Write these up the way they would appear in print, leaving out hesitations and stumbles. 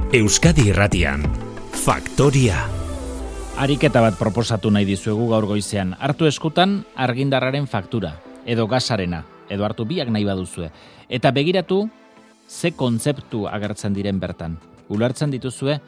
Euskadi Irratian, Faktoria. Ariketa bat proposatu nahi dizuegu gaur goizean. Hartu eskutan argindarraren faktura, edo gasarena, edo hartu biak nahi baduzue. Eta begiratu, ze kontzeptu agertzen diren bertan. Ulertzen dituzue,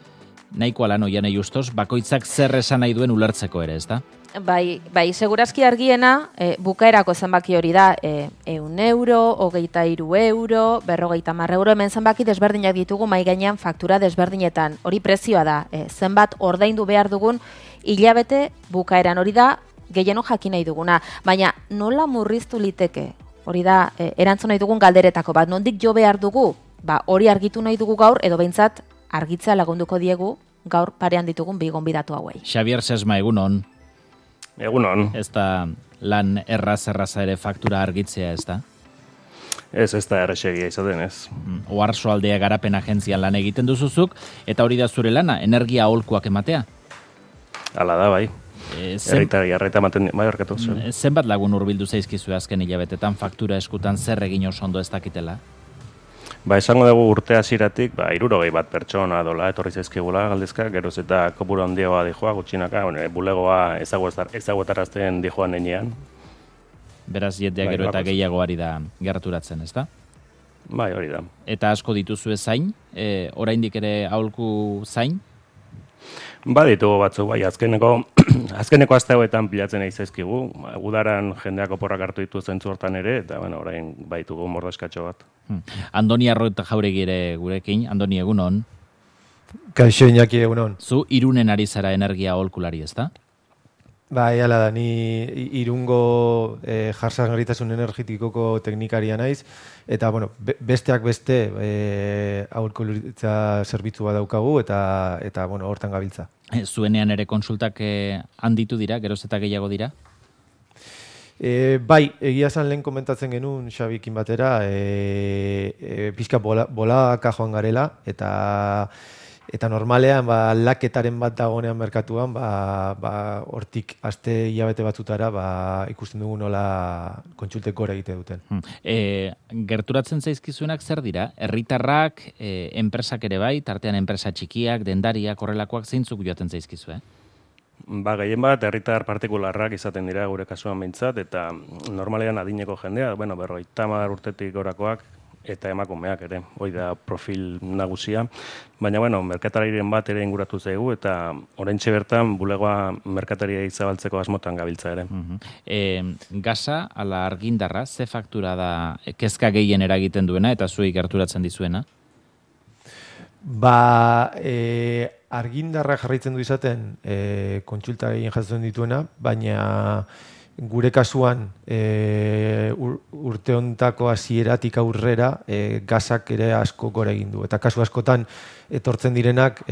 nahiko lan oianei ustos, bakoitzak zer esan nahi duen ulertzeko ere, ezta? Bai, segurazki argiena, bukaerako zenbaki hori da, 100 euro, 23 euro, 50 euro, hemen zenbaki desberdinak ditugu mai gainean faktura desberdinetan. Hori prezioa da, zenbat ordaindu behar dugun hilabete bukaeran, hori da gehieno jakin nahi duguna. Baina nola murriztu liteke? Hori da, erantzun nahi dugun galderetako bat, nondik jo behar dugu? Hori argitu nahi dugu gaur, edo behintzat argitzea lagunduko diegu gaur parean ditugun bi gonbidatu hauei. Xabier Sesma, egunon. Egunon. Ez da lan erraza ere faktura argitzea, ez da? Ez da erresegia izaten, ez. Oarso aldea garapen agentzian lan egiten duzuzuk, eta hori da zure lana, energia aholkuak ematea? Hala da, bai. Herritari arreta ematen, bai, horkatu. Zenbat lagun hurbildu zaizkizu azken hilabetetan faktura eskutan zer egin oso ondo ez dakitela? Esango dugu urte hasieratik, 60 bat pertsona dola etorri zaizkigula galdezka, geroz eta kopuru handiagoa dijoa, gutxinaka, bulegoa ezaguetarazten dijoan nenean. Beraz, jetea gero eta gehiago ari da gerturatzen, ez da? Bai, hori da. Eta asko dituzue zain, oraindik ere aholku zain? Ditugu batzuk, bai, azkeneko aste hauetan pilatzen egin zaizkigu, udaran jendeak oporrak hartu ditu zentzu hortan ere, eta orain baitugu mordeskatxo bat. Andoni Arroeta Jauregi ere gurekin, Andoni, egunon. Kaixo Iñaki, egunon. Zu Irunen ari zara energia aholkulari, ez da? Bai, hala da, ni Irungo jasangarritasun energetikoko teknikaria naiz, eta besteak beste aholkularitza zerbitzu bat daukagu, eta hortan gabiltza. Zuenean ere konsultak handitu dira, geroz eta gehiago dira? Bai, egia esan lehen komentatzen genuen Xabikin batera, pixka bolaka joan garela, eta normalean aldaketaren bat dagoenean merkatuan, hortik aste hilabete batzutara ikusten dugu nola kontsultek gora egite duten. Gerturatzen zaizkizuenak zer dira? Herritarrak, enpresak ere bai, tartean enpresa txikiak, dendariak, horrelakoak zeintzuk joaten zaizkizu, Gehien bat, herritar partikularrak izaten dira gure kasuan behintzat, eta normalean adineko jendea, 50 urtetik gorakoak, eta emakumeak ere, hori da profil nagusia. Baina, merkatariren bat ere inguratu zaigu, eta oraintxe bertan bulegoa merkataria zabaltzeko asmotan gabiltza ere. Gasa, ala argindarra, ze faktura da kezka gehien eragiten duena, eta zuei gerturatzen dizuena? Argindarra jarraitzen du izaten kontsulta gehien jasotzen dituena, baina gure kasuan urte hontako hasieratik aurrera gasak ere asko gora egin du. Eta kasu askotan etortzen direnak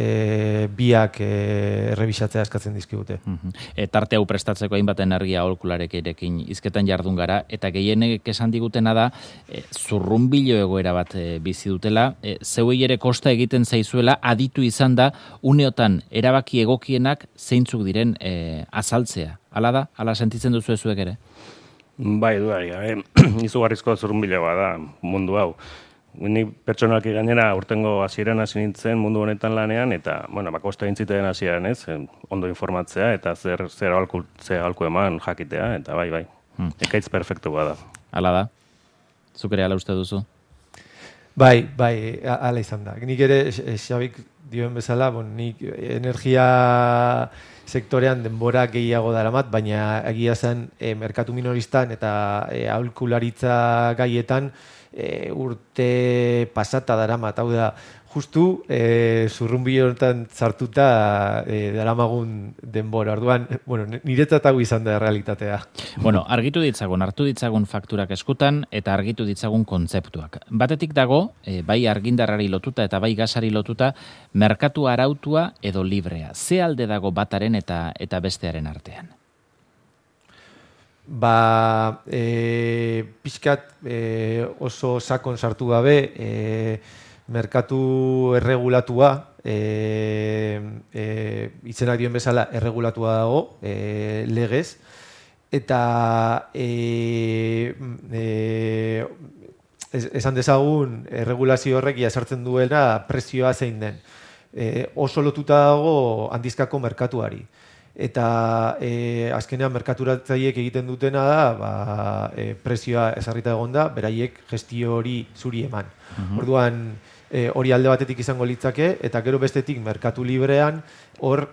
biak errebisatzea eskatzen dizkigute. Tarte hau prestatzeko hainbat energia aholkularekin hizketan jardun gara, eta gehienek esan digutena da zurrunbilo egoera bat bizi dutela, zeuei ere kosta egiten zaizuela aditu izan da uneotan erabaki egokienak zeintzuk diren azaltzea. Hala da? Hala sentitzen duzu zuek ere? Bai, duari, izugarrizko zurrunbiloa da mundu hau. Ni pertsonalki gainera urtengo hasieran hasi nintzen mundu honetan lanean, eta, kosta egin zitean hasieran, ondo informatzea, eta zer aholku eman jakitea, eta bai. Ekaitz perfektu bada. Hala da? Zuk ere hala uste duzu? Bai, hala izan da. Nik ere, Xabik dioen bezala, nik energia sektorean denbora gehiago daramat, baina egia zen merkatu minoristan eta aholkularitza gaietan urte pasata daramat. Hau da, justu zurrunbilo honetan sartuta daramagun denbora. Orduan, niretzat hau izan da realitatea. Argitu ditzagun, hartu ditzagun fakturak eskutan eta argitu ditzagun kontzeptuak. Batetik dago, bai argindarrari lotuta eta bai gasari lotuta, merkatu arautua edo librea. Ze alde dago bataren eta bestearen artean? Pixkat oso sakon sartu gabe, merkatu erregulatua, izenak dioen bezala erregulatua dago, legez, eta esan dezagun erregulazio horrek jasartzen duela prezioa zein den. oso lotuta dago handizkako merkatuari. Eta azkenean merkaturatzaileek egiten dutena da, prezioa ezarrita egon da, beraiek gestio hori zuri eman. Orduan, hori alde batetik izango litzake, eta gero bestetik merkatu librean, hor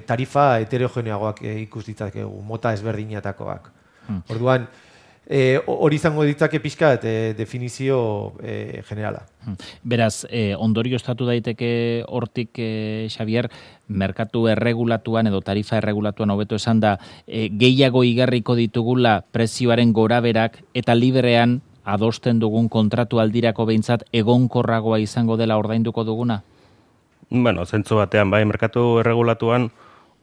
tarifa heterogeneagoak ikus ditzakegu, mota ezberdinetakoak. Orduan, hori izango ditzake pixka definizio generala. Beraz, ondorioztatu daiteke hortik, Xavier, merkatu erregulatuan edo tarifa erregulatuan hobeto esan da, gehiago igarriko ditugula prezioaren goraberak eta librean adosten dugun kontratu aldirako behintzat egonkorragoa izango dela ordainduko duguna? Bueno, zentzu batean, bai, merkatu erregulatuan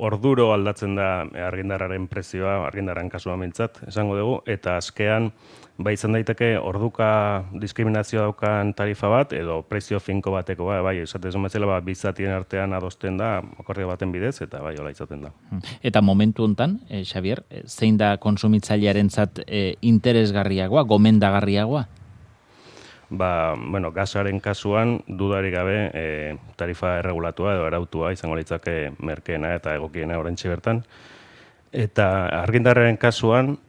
orduro aldatzen da argindarraren prezioa, argindarraren kasua mintzat, esango dugu, eta azkean, bai izan daiteke orduka diskriminazioa daukan tarifa bat, edo prezio finko bateko, bai, esatez bezala, bizatien artean adosten da, akordio baten bidez, eta bai, hola izaten da. Eta momentu hontan, Xavier, zein da kontsumitzailearentzat interesgarriagoa, gomendagarriagoa? Bueno, gasaren kasuan dudarik gabe tarifa erregulatua edo arautua izango litzake merkeena eta egokiena oraintxe bertan. Eta argindarraren kasuan,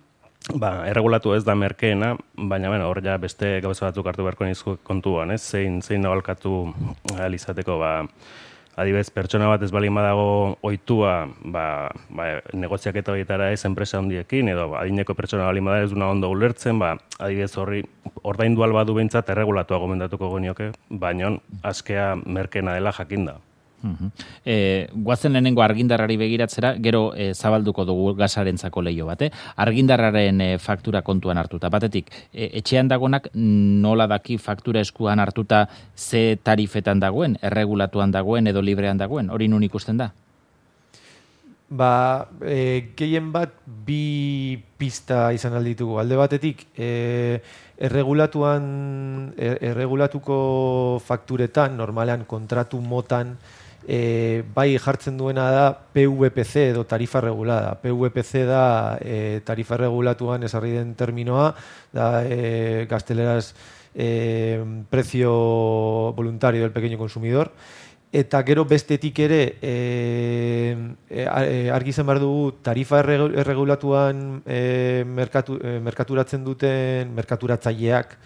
erregulatu ez da merkeena, baina hor ja beste gauza batzuk hartu beharko nizko kontuan, ez? Zein nabalkatu ahal izateko, adibidez, pertsona bat ez balin badago ohitua negoziaketa horietara ez enpresa handiekin, edo adineko pertsona balin bada ez duna ondo ulertzen, adibidez horri ordaindu alba du behintzat erregulatua gomendatuko genioke, baina askea merkena dela jakinda. Guazen lehenengo argindarrari begiratzera, gero zabalduko dugu gasarentzako leio bat. Argindarraren faktura kontuan hartuta. Batetik, etxean dagonak nola daki faktura eskuan hartuta ze tarifetan dagoen, erregulatuan dagoen edo librean dagoen, hori nun ikusten da? Gehien bat bi pista izan alditugu. Alde batetik, erregulatuko fakturetan, normalean kontratu motan, bai jartzen duena da PVPC edo tarifa regulada. PVPC da tarifa regulatuan esarri den terminoa, da gazteleraz precio voluntario del pequeño consumidor. Eta gero bestetik ere argi izan behar dugu tarifa erregulatuan merkaturatzen duten merkaturatzaileak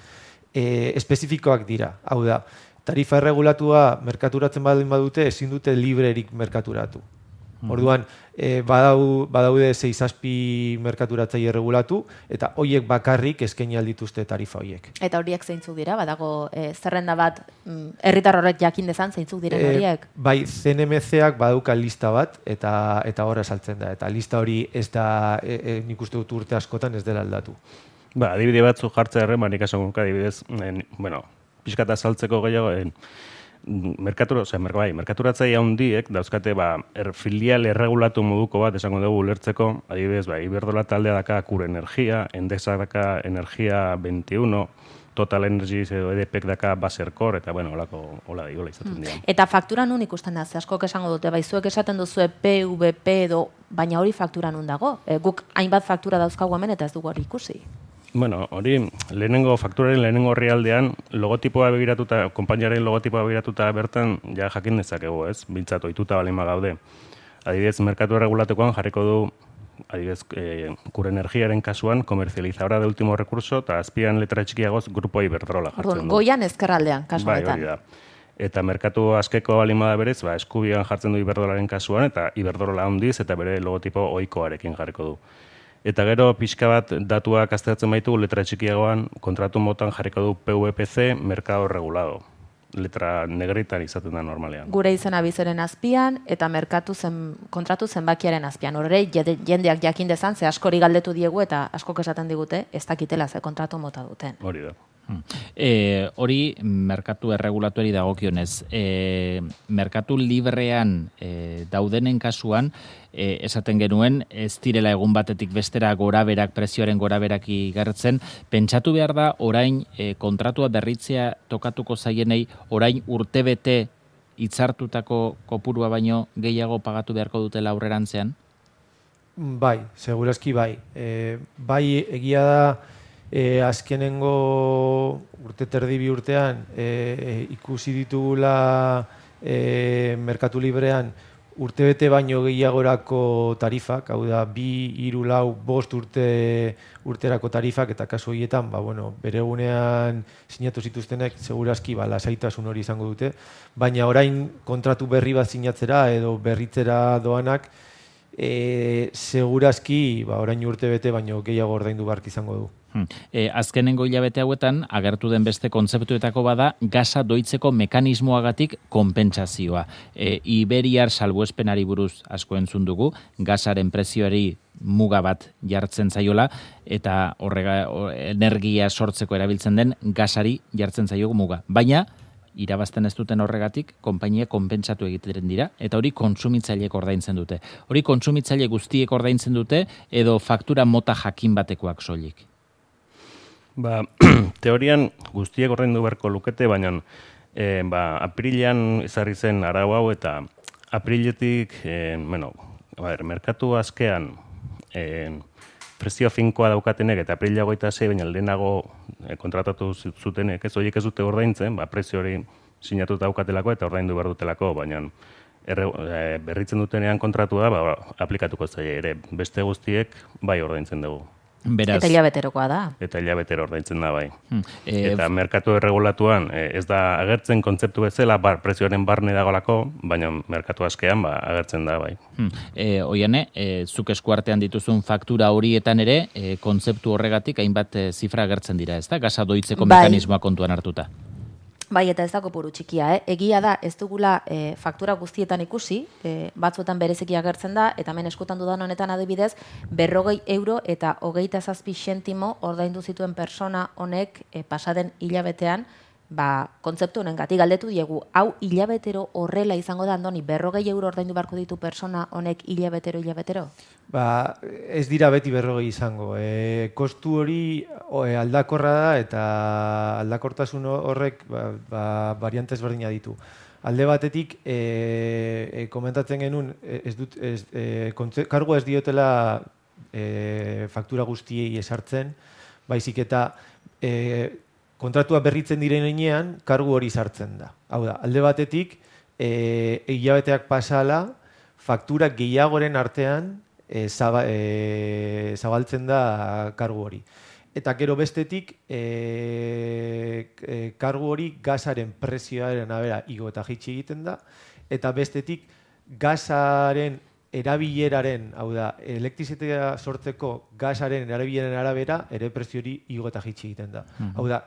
espezifikoak dira. Hau da, tarifa erregulatua merkaturatzen badute ezin dute librerik merkaturatu. Orduan, badaude 6-7 merkaturatzaile erregulatu, eta hoiek bakarrik eskaini aldituzte tarifa hoiek. Eta horiek zeintzuk dira? Badago zerrenda bat, herritar horrek jakin dezan zeintzuk diren horiek? Bai, CNMC-ak badauka lista bat, eta horra saltzen da. Eta lista hori ez da, nik uste dut urte askotan ez dela aldatu. Adibide batzu jartzea erren, nik esango adibidez, pixkata saltzeko gehiago, merkaturatzaile handiek dauzkate filial erregulatu moduko bat esango dugu ulertzeko, adibidez, Iberdrola taldea daka Cure Energia, Endesa daka Energia 21, Total Energies edo EDPek daka Baserkor, eta hola izaten dira. Eta faktura nun ikusten da, ze askok esango dute, zuek esaten duzue PVP edo, baina hori faktura nun dago? Guk hainbat faktura dauzkagu hemen eta ez dugu hori ikusi. Hori, fakturaren lehenengo orrialdean, logotipoa begiratuta, konpainiaren logotipoa begiratuta bertan, ja jakin dezakegu, ez? Bintzat, ohituta balima gaude. Adibidez, merkatu erregulatekoan jarriko du, adibidez, Cure Energiaren kasuan, komerzializadora de último recurso, eta azpian letra txikiagoz, Grupo Iberdrola jartzen du. Goian ezkerraldean, kasu honetan. Hori da. Eta merkatu askeko balima da berez, eskubian jartzen du Iberdrolaren kasuan, eta Iberdrola handiz, eta bere logotipo ohikoarekin jarriko du. Eta gero pixka bat datuak aztertzen baitu letra txikiagoan kontratu motan jarriko du PVPC mercado regulado. Letra negritan izaten da normalean. Gure izena bizeren azpian eta kontratu zenbakiaren azpian. Horre jendeak jakin dezan, ze askori galdetu diegu eta askok esaten digute ez dakitela ze kontratu mota duten. Hori da. Hori merkatu erregulatuari dagokionez. Merkatu librean daudenen kasuan, esaten genuen, ez direla egun batetik bestera goraberak, prezioaren goraberak igartzen. Pentsatu behar da, orain kontratua berritzea tokatuko zaienei, orain urtebete hitzartutako kopurua baino gehiago pagatu beharko dutela aurrerantzean? Bai, segurazki bai. Bai, egia da, azkenengo urte terdi bi urtean ikusi ditugula merkatu librean urtebete baino gehiagorako tarifak, hau da, 2, 3, 4, 5 urterako tarifak, eta kasu horietan, bere egunean sinatu zituztenek, segurazki, lasaitasun hori izango dute, baina orain kontratu berri bat sinatzera edo berritzera doanak, segurazki, orain urtebete baino gehiago ordaindu beharko izango du. Azkenengo hilabete hauetan, agertu den beste kontzeptuetako bada, gasa doitzeko mekanismoagatik konpentsazioa. Iberiar salbuespenari buruz asko entzun dugu, gasaren prezioari muga bat jartzen zaiola, eta energia sortzeko erabiltzen den gasari jartzen zaio muga. Baina, irabazten ez duten horregatik, konpainia konpentsatu egiten dira, eta hori kontsumitzaileek ordaintzen dute. Hori kontsumitzaile guztiek ordaintzen dute, edo faktura mota jakin batekoak soilik? Teorian guztiek ordaindu beharko lukete, baina aprilean ezarri zen arau hau, eta apriletik, merkatu askean prezio finkoa daukatenek, eta aprila 26, baina lehenago kontratatu zutenek, ez horiek ez dute ordaintzen, prezio hori sinatuta daukatelako eta ordaindu behar dutelako, baina berritzen dutenean kontratua aplikatuko zaie ere, beste guztiek bai ordaintzen dugu. Beraz, eta hilabeterokoa da. Eta hilabetero ordaintzen da bai. Eta merkatu erregulatuan ez da agertzen kontzeptu bezala, prezioaren barne dagoelako, baina merkatu askean agertzen da bai. Oiane, zuk eskuartean dituzun faktura horietan ere, kontzeptu horregatik hainbat zifra agertzen dira, ez da? Gasa doitzeko mekanismoa kontuan hartuta. Bai, eta ez da kopuru txikia, Egia da, ez dugula faktura guztietan ikusi, batzuetan bereziki agertzen da, eta hemen eskutan dudan honetan adibidez, 40 euro eta 27 zentimo ordaindu zituen persona honek pasaden hilabetean, kontzeptu honen gati galdetu diegu, hau hilabetero horrela izango da, Andoni, 40 euro ordaindu beharko ditu persona honek hilabetero? Ez dira beti 40 izango. Kostu hori aldakorra da, eta aldakortasun horrek variantez berdina ditu. Alde batetik, komentatzen genuen, kargoa ez diotela faktura guztiei esartzen, baizik eta kontratua berritzen direnean, kargu hori sartzen da. Hau da, alde batetik, hilabeteak pasala, faktura gehiagoren artean zabaltzen da kargu hori. Eta gero bestetik, kargu hori gasaren prezioaren abera igo eta jaitsi egiten da, eta bestetik, gasaren erabileraren, hau da, elektrizitatea sortzeko gasaren erabileraren arabera, ere prezio hori igo eta jaitsi egiten da. Hau da,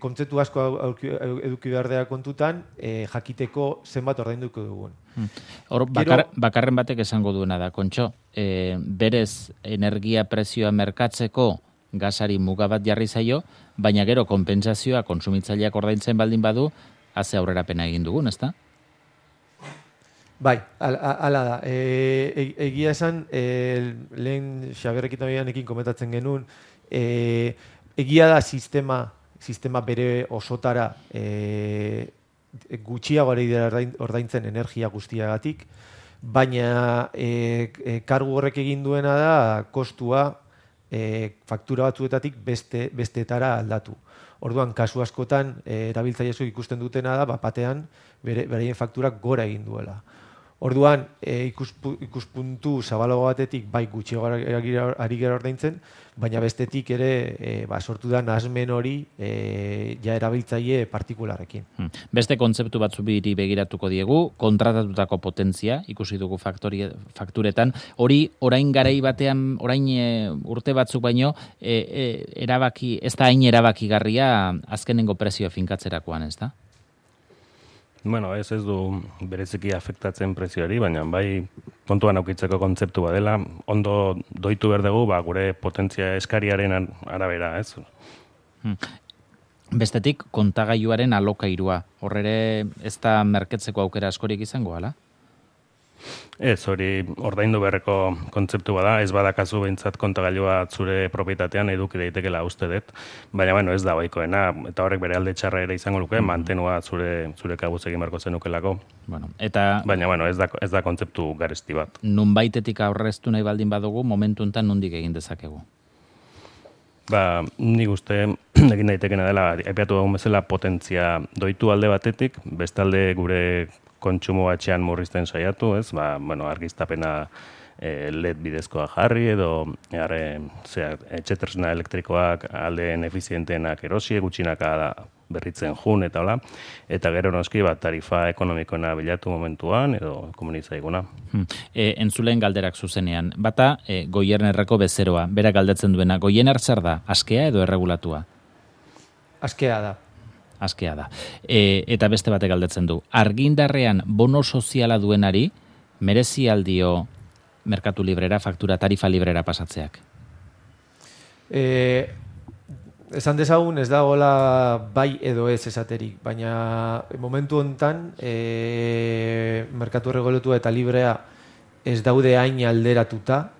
kontzeptu asko eduki behar dela kontutan, jakiteko zenbat ordainduko dugun. Bakarren batek esango duena da, Kontxo, berez energia prezioa merkatzeko gasari muga bat jarri zaio, baina gero konpentsazioa kontsumitzaileak ordaintzen baldin badu, haze aurrerapena egin dugun, ezta? Bai, ala da. Egia esan, lehen Xaberrekin komentatzen genuen, egia da sistema bere osotara gutxiago ordaintzen energia guztiagatik, baina kargu horrek egin duena da kostua faktura batzuetatik besteetara aldatu. Orduan, kasu askotan, erabiltzaileek ikusten dutena da, batean, beraien fakturak gora egin duela. Orduan, ikuspuntu zabalago batetik bai gutxiago ari gara ordaintzen, baina bestetik ere sortu da nahasmen hori ja erabiltzaile partikularrekin. Beste kontzeptu batzu biri begiratuko diegu, kontratatutako potentzia, ikusi dugu fakturetan, hori orain garai batean, orain urte batzuk baino, ez da hain erabakigarria azkenengo prezioa finkatzerakoan, ez da? Bueno, ez du bereziki afektatzen prezioari, baina bai kontuan aukitzeko kontzeptu badela, ondo doitu behar dugu, gure potentzia eskariaren arabera, ez? Bestetik, kontagailuaren alokairua, horrere ez da merketzeko aukera askorik izango, ala? Ez, hori ordaindu beharreko kontzeptu bada, ez badakazu behintzat kontagailua zure propietatean eduki daitekela uste dut, baina ez da ohikoena, eta horrek bere alde txarra ere izango luke, mantenua zure kabuz egin beharko zenukelako. Baina ez da kontzeptu garesti bat. Nunbaitetik aurreztu nahi baldin badugu, momentu enten nondik egin dezakegu? Nik uste egin daitekena dela, aipatu dugun bezala potentzia doitu alde batetik, bestalde gure kontsumo batxean murrizten saiatu, ez? Argiztapena LED bidezkoa jarri edo etxetresna elektrikoak aldeen efizienteenak erosi, gutxinaka da berritzen jun eta hola, eta gero noski tarifa ekonomikoena bilatu momentuan edo komunitzaiguna. Entzuleen galderak zuzenean, bata Goiernerreko bezeroa, berak galdetzen duena, Goierner zer da, askea edo erregulatua? Askea da. Askea da. Eta beste batek galdetzen du, argindarrean bono soziala duenari, merezi aldio merkatu librera, faktura tarifa librera pasatzeak? Esan dezagun ez dagoela bai edo ez esaterik, baina momentu hontan merkatu erregulatua eta librea ez daude hain alderatuta,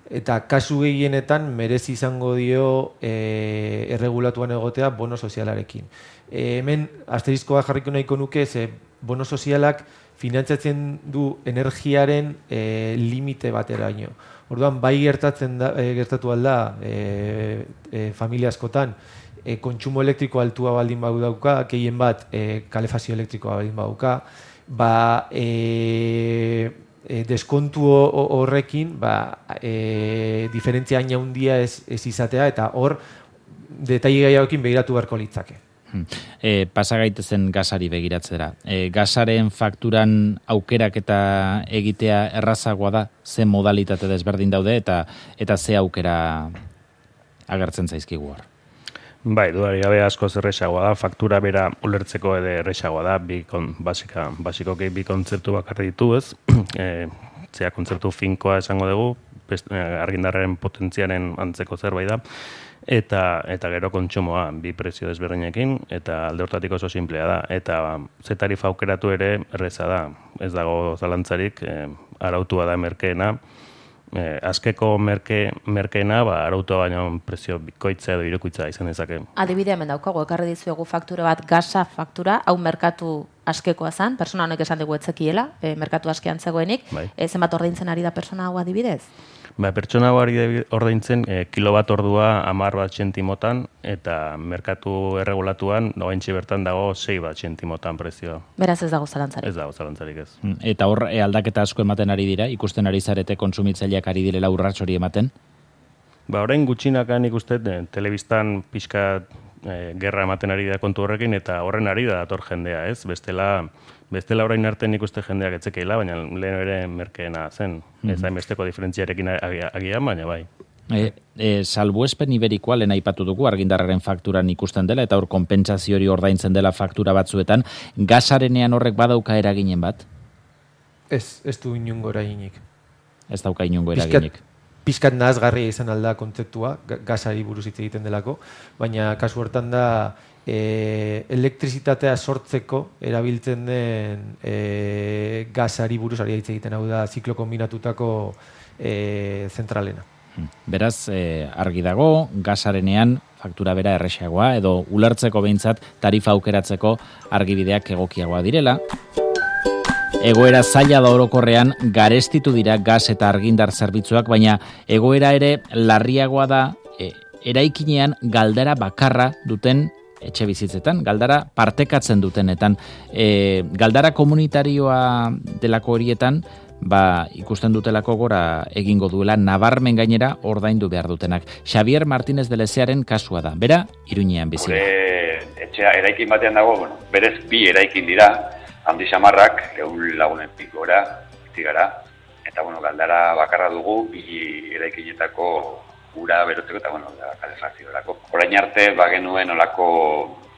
eta kasu gehienetan merezi izango dio erregulatuan egotea bono sozialarekin. Hemen asterizkoa jarriko nahiko nuke, ze bono sozialak finantzatzen du energiaren limite bateraino. Orduan, bai gertatu alda familia askotan, kontsumo elektriko altua baldin badauka, gehien bat kalefazio elektrikoa baldin badauka, deskontu horrekin diferentzia hain handia ez izatea, eta hor detaile gehiagoekin begiratu beharko litzake. Pasa gaitezen gasari begiratzera. Gasaren fakturan aukerak eta egitea errazagoa da, ze modalitate desberdin daude eta ze aukera agertzen zaizkigu hor. Bai, dudari gabe asko errazagoa da, faktura bera ulertzeko ere errazagoa da, basikoki bi kontzeptu bakarri ditu, ez? Zea kontzeptu finkoa esango dugu, argindarraren potentziaren antzeko zerbait da, eta gero kontsumoa, bi prezio desberdinekin, eta alde hortatik oso simplea da. Eta ze tarifa aukeratu ere erreza da, ez dago zalantzarik, arautua da merkeena, azkeko merkeena, arautua baino prezio bikoitza edo irukoitza izan dezake. Adibidea hemen daukagu, ekarri dizuegu faktura bat, gasa faktura, hau merkatu askekoa zen, persona honek esan dugu etzekiela, merkatu askean zegoenik, zenbat ordaintzen ari da persona hau adibidez? Pertsona hau ari ordaintzen kilobat ordua 10 bat zentimotan, eta merkatu erregulatuan noaintxe bertan dago 6 bat zentimotan prezioa. Beraz ez dago zalantzarik. Ez dago zalantzarik ez. Eta hor aldaketa asko ematen ari dira, ikusten ari zarete kontsumitzaileak ari direla urrats hori ematen? Orain gutxinakan ikusten telebistan pixka gerra ematen ari da kontu horrekin, eta horren ari da dator jendea, ez? Bestela orain arte nik uste jendeak etzekeela, baina lehen ere merkeena zen. Ez hainbesteko diferentziarekin agian, baina bai. Salbuespen iberikoa lehen aipatu dugu argindarraren fakturan ikusten dela, eta hor konpentsazio hori ordaintzen dela faktura batzuetan, gasarenean horrek badauka eraginen bat? Ez du inongo eraginik. Ez dauka inongo eraginik. Pizkat nahasgarria izan alda kontzeptua, gasari buruz hitz egiten delako, baina kasu hortan da elektrizitatea sortzeko erabiltzen den gasari buruz ari hitz egiten, hau da ziklo kombinatutako zentralena. Beraz, argi dago, gasarenean faktura bera erresagoa, edo ulertzeko behintzat tarifa aukeratzeko argibideak egokiagoa direla. Egoera zaila da orokorrean garestitu dira gas eta argindar zerbitzuak, baina egoera ere larriagoa da eraikinean galdara bakarra duten etxe bizitzetan, galdara partekatzen dutenetan. Galdara komunitarioa delako horietan, ikusten dutelako gora egingo duela, nabarmen gainera ordaindu behar dutenak. Xavier Martínez de Lezearen kasua da, bera Iruñean bizi da. Etxea eraikin batean dago, berez bi eraikin dira, handi samarrak, 100 lagunen pikora, zigara, eta galdara bakarra dugu, bi eraikinetako ura berotzeko eta kalefazioerako. Orain arte genuen olako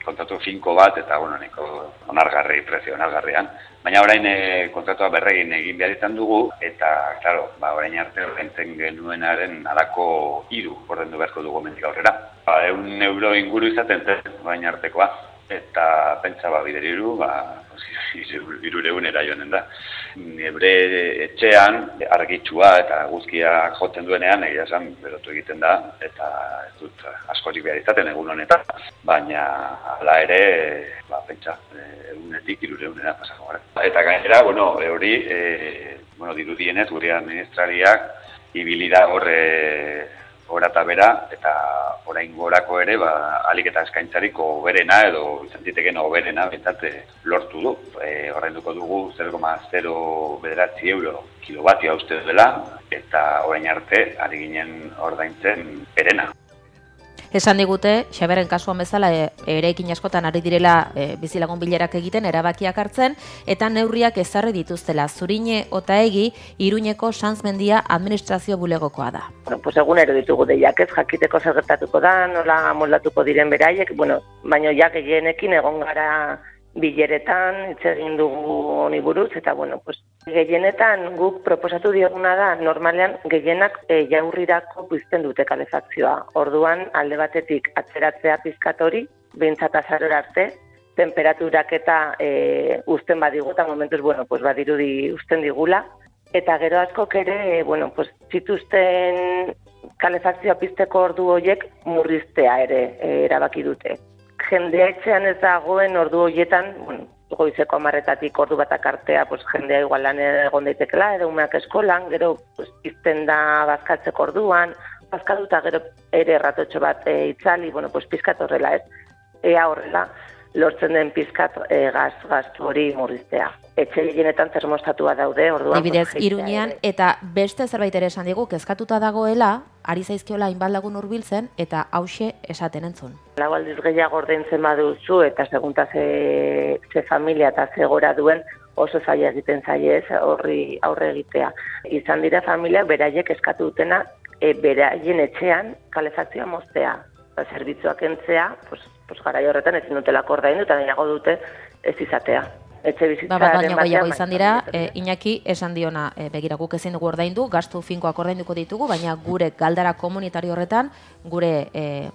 kontratu finko bat eta neko onargarri, prezio onargarrian. Baina orain kontratua berregin egin behar izan dugu eta, claro, orain arte ordaintzen genuenaren alako 3 ordaindu beharko dugu hemendik aurrera. 100 euro inguru izaten zen orain artekoa. Eta pentsa bideriru, 300 joanen da. Nebre etxean argitsua eta guzkia jotzen duenean, egia esan berotu egiten da, eta ez dut askorik behar izaten egun honetan, baina hala ere, pentsa, egunetik 300 pasako gara. Eta gainera, hori, dirudienez, gure administrariak ibili da horre gora eta bera, eta orain gorako ere, alik eta eskaintzarik oberena edo izan zitekeen oberena bentsat lortu du. Ordainduko dugu 0,09 euro kilovatioa uste dela, eta orain arte ari ginen ordaintzen berena. Esan digute, Xaberen kasuan bezala eraikin askotan ari direla bizilagun bilerak egiten, erabakiak hartzen, eta neurriak ezarri dituztela. Zurine Otaegi, Iruñeko Sanzmendia administrazio bulegokoa da. Pues egunero ditugu deiak ez, jakiteko zer gertatuko da, nola moldatuko diren beraiek, baina ja gehienekin egon gara bileretan, hitz egin dugu honi buruz, eta gehienetan guk proposatu dioguna da, normalean gehienak jaurrirako pizten dute kalefakzioa. Orduan, alde batetik atzeratzea pizkat hori, behintzat azarora arte, temperaturak eta uzten badigu, eta momentuz, badirudi uzten digula. Eta gero askok ere, zituzten kalefakzioa pizteko ordu horiek murriztea ere erabaki dute. Jendea etxean ez dagoen ordu horietan, goizeko 10:00 ordu batak artea, jendea igual lan egon daitekela, edo umeak eskolan, gero pizten da bazkatzeko orduan, bazkatuta gero ere ratotxo bat itzali, pizkat horrela ez, ea horrela, lortzen den pizkat gastu hori murriztea. Etxe gehienetan termostatua daude, orduan... Dibidez, Iruñean, eta beste zerbait ere esan digu, kezkatuta dagoela, ari zaizkiola hainbat lagun hurbiltzen, eta hauxe esaten entzun. Lau aldiz gehiago ordaintzen baduzu, eta segunta ze familia eta ze gora duen, oso zaila egiten zaie ez, horri aurre egitea. Izan dira familiak beraiek eskatu dutena, beraien etxean kalefakzioa moztea. Zerbitzuak entzea, garai horretan ezin dutelako ordaindu, eta nahiago dute ez izatea. Baina gehiago izan dira, Iñaki esan diona, begira guk ezin dugu ordaindu, gastu finkoak ordainduko ditugu, baina gure galdara komunitario horretan, gure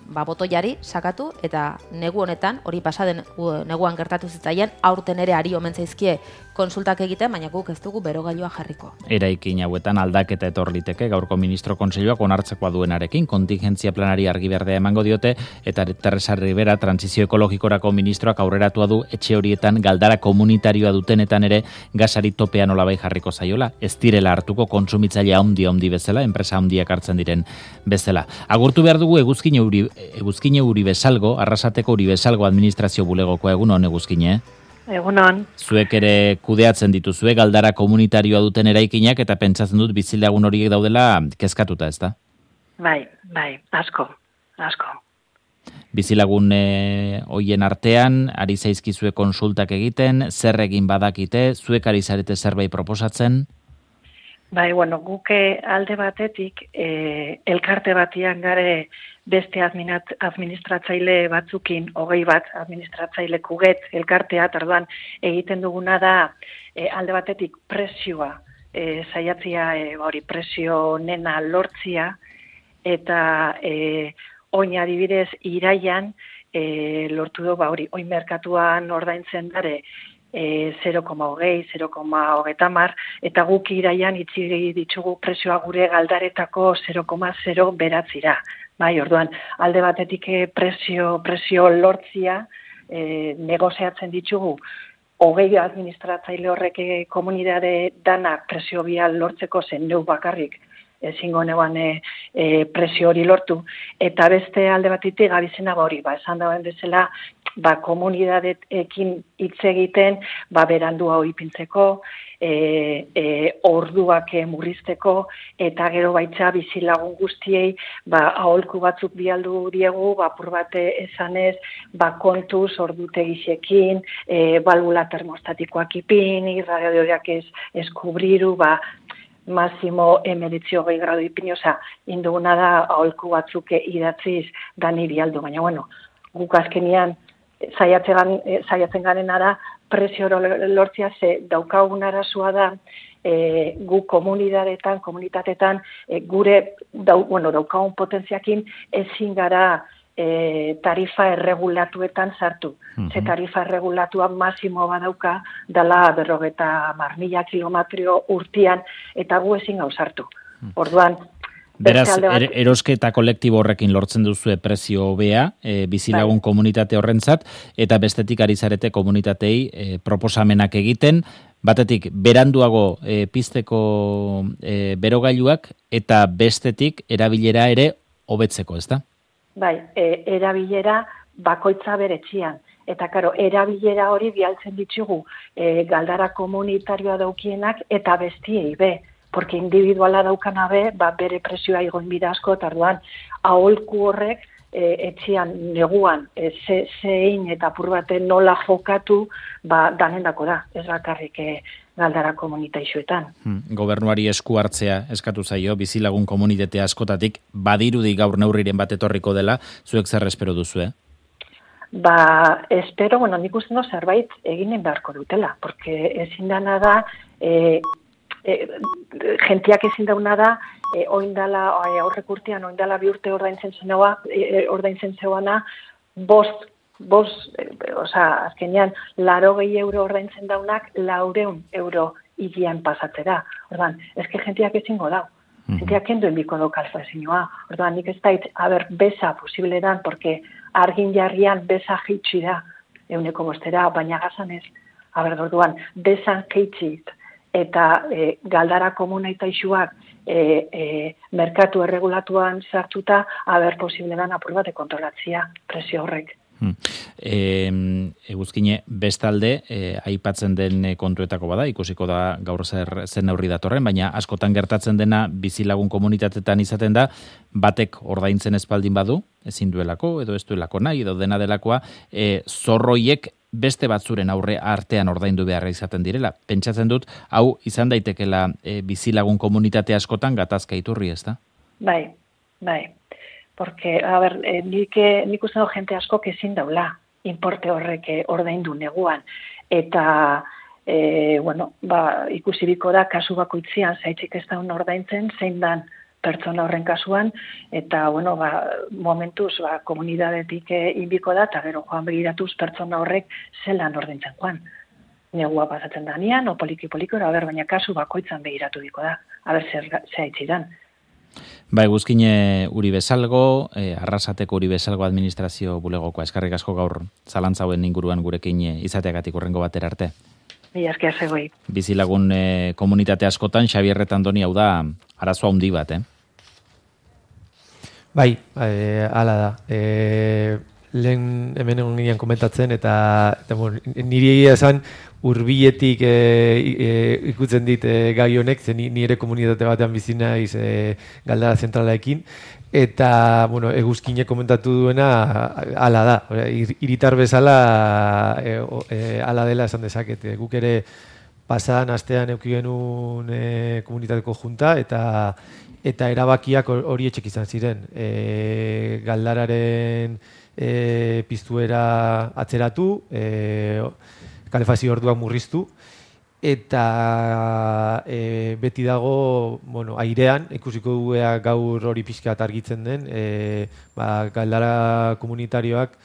botoiari sakatu, eta negu honetan, hori pasaden neguan gertatu zitzaien, aurten ere ari omen zaizkie konsultak egiten, baina guk ez dugu berogailua jarriko. Eraikin hauetan aldaketa etor liteke gaurko ministro kontseiluak onartzekoa duenarekin, kontingentzia planari argi berdea emango diote, eta Teresa Rivera transizio ekologikorako ministroak aurreratua du etxe horietan galdara komunitarioa dutenetan ere gasari topea nolabai jarriko zaiola, ez direla hartuko kontsumitzaile handi bezala, enpresa handiak hartzen diren bezala. Agurtu behar dugu Eguzkine Uribesalgo, Arrasateko Uribesalgo administrazio bulegokoa. Egunon, Eguzkine? Egunon. Zuek ere kudeatzen dituzue galdara komunitarioa duten eraikinak, eta pentsatzen dut bizilagun horiek daudela kezkatuta, ez da? Bai, asko. Bizilagun hoien artean, ari zaizkizue konsultak egiten, zer egin badakite, zuek ari zarete zerbait proposatzen? Bai, guke alde batetik, elkarte batian gare beste administratzaile batzukin, 20 administratzaile kuget elkartea, tarduan egiten duguna da alde batetik presioa, saiatzia presio nena lortzia, eta oin adibidez iraian lortu du, oin merkatuan ordaintzen dare 0,20, 0,30, eta guk iraian itzi ditugu presioa gure galdaretako 0,0 beratzira. Bai, orduan, alde batetik presio lortzia negoziatzen ditugu, 20 administratzaile horrek komunitate danak presio bial lortzeko zen neu bakarrik ezingo neuan presio hori lortu, eta beste alde batetik gabizena hori, esan dauen bezala, komunitateekin hitz egiten, berandua hori pintzeko, orduak murrizteko, eta gero baitza bizilagun guztiei, aholku batzuk bialdu diegu, apur bate esanez, kontuz ordutegixekin, balbula termostatikoak ipini, radiadioak ez kubriru, máximo 19 gradu ipini, induguna da aholku batzuk idatziz dani bialdu, baina guk azkenian saiatzen garena da presio lortzia, ze daukagun arazua da gu komunitateetan gure daukagun potentziakin ezin gara tarifa erregulatuetan sartu. Ze tarifa erregulatua masimo badauka dela 50.000 kilometro urtean, eta gu ezin gau sartu. Orduan, beraz, erosketa kolektibo horrekin lortzen duzue prezio hobea, bizilagun komunitate horrentzat, eta bestetik ari zarete komunitatei proposamenak egiten, batetik beranduago pizteko berogailuak, eta bestetik erabilera ere hobetzeko, ezta? Bai, erabilera bakoitza beretxian. Eta, karo, erabilera hori bialtzen ditugu galdara komunitarioa daukienak eta bestiei be. Porque individuala daukana be, bere presioa igoin bida asko, eta orduan, aholku horrek etxian neguan zein eta apur baten nola jokatu danendako da, ez bakarrik galdara komunitaixuetan. Gobernuari esku hartzea eskatu zaio, bizilagun komunitate askotatik, badirudi gaur neurriren bat etorriko dela, zuek zer espero duzu, espero, nik uste no zerbait eginen beharko dutela, porque ezin dana da, jentiak ezin dauna da, oindala, aurrek urtean, oindala 2 urte ordaintzen zeuana, azkenean, 80 euro ordaintzen daunak, 400 euro higian pasatzera. Ordan, eske jentiak ezingo dau. Jentiak kenduen biko do kalfazioa. Ordan, nik ez dait, beza posible dan, porque argin jarrian beza jeitsi da, 100 baina gazan ez. Orduan, bezan jeitsit, eta galdara komunitaixuak merkatu erregulatuan sartuta, posible dan apur bate kontrolatzia presio horrek. Eguzkine, bestalde, aipatzen den kontuetako bada, ikusiko da gaur zer neurri datorren, baina askotan gertatzen dena bizilagun komunitatetan izaten da, batek ordaintzen espaldin badu, ezin duelako, edo ez duelako nahi, edo dena delakoa, zorroiek beste batzuren aurre artean ordaindu beharra izaten direla. Pentsatzen dut, hau izan daitekela bizilagun komunitate askotan gatazka iturri, ez da? Bai. Porque, nik uste dut jente asko ezin daula importe horrek ordaindu neguan. Eta, ikusiriko da, kasu bakoitzean, zaitzik ez daun ordaintzen, zein dan pertsona horren kasuan, eta, momentuz, komunidadetik inbiko da, eta gero joan begiratuz pertsona horrek zelan ordaintzen joan. Negua pasatzen danean, o poliki-poliko, baina kasu bakoitzan begiratu biko da, zer haitzidan. Eguzkine Uribe Salgo, Arrasateko Uribe Salgo administrazio bulegokoa, eskerrik asko gaur zalantzauen inguruan gurekin izateagatik urrengo batera arte. Mila esker zegoi. Bizilagun komunitate askotan, Xabier Retandoni hau da arazoa handi bat, Bai, hala da. Lehen hemen egon ginean komentatzen, eta niri egia esan hurbiletik ikutzen dit gai honek, zen nire komunitate batean bizi naiz galdara zentralaekin, eta Eguzkine komentatu duena hala da. Hiritar bezala hala dela esan dezaket. Guk ere pasadan astean eduki genuen komunitateko junta, eta erabakiak horietxek izan ziren. Galdararen piztuera atzeratu, kalefazio orduak murriztu, eta beti dago airean, ikusiko duea gaur hori pixkat argitzen den, galdara komunitarioak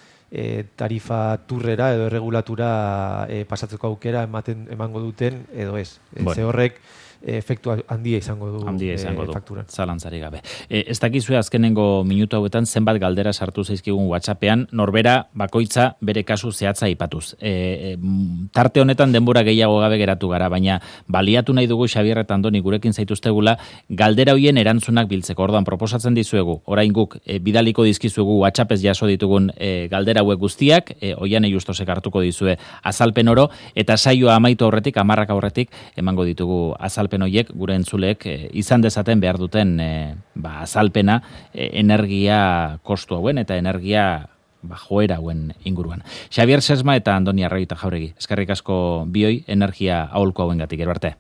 tarifa turrera edo erregulatura pasatzeko aukera emango duten edo ez. Ze horrek efektu handia izango du fakturan. Zalantzari gabe. Ez dakizue azkenengo minutu hauetan zenbat galdera sartu zaizkigun WhatsAppean, norbera bakoitza bere kasu zehatza aipatuz. Tarte honetan denbora gehiago gabe geratu gara, baina baliatu nahi dugu Xabier Retandoni gurekin zaituztegula galdera hoien erantzunak biltzeko. Orduan proposatzen dizuegu, orain guk bidaliko dizkizuegu WhatsAppez jaso ditugun galdera hauek guztiak, Oianei Justosek hartuko dizue azalpen oro, eta saioa amaitu aurretik, 10 aurretik emango ditugu azalpen horiek gure entzuleek izan dezaten behar duten azalpena energia kostu hauen eta energia joera hauen inguruan. Xabier Sesma eta Andoni Arroita Jauregi, eskerrik asko bioi energia aholku hauengatik, gero arte.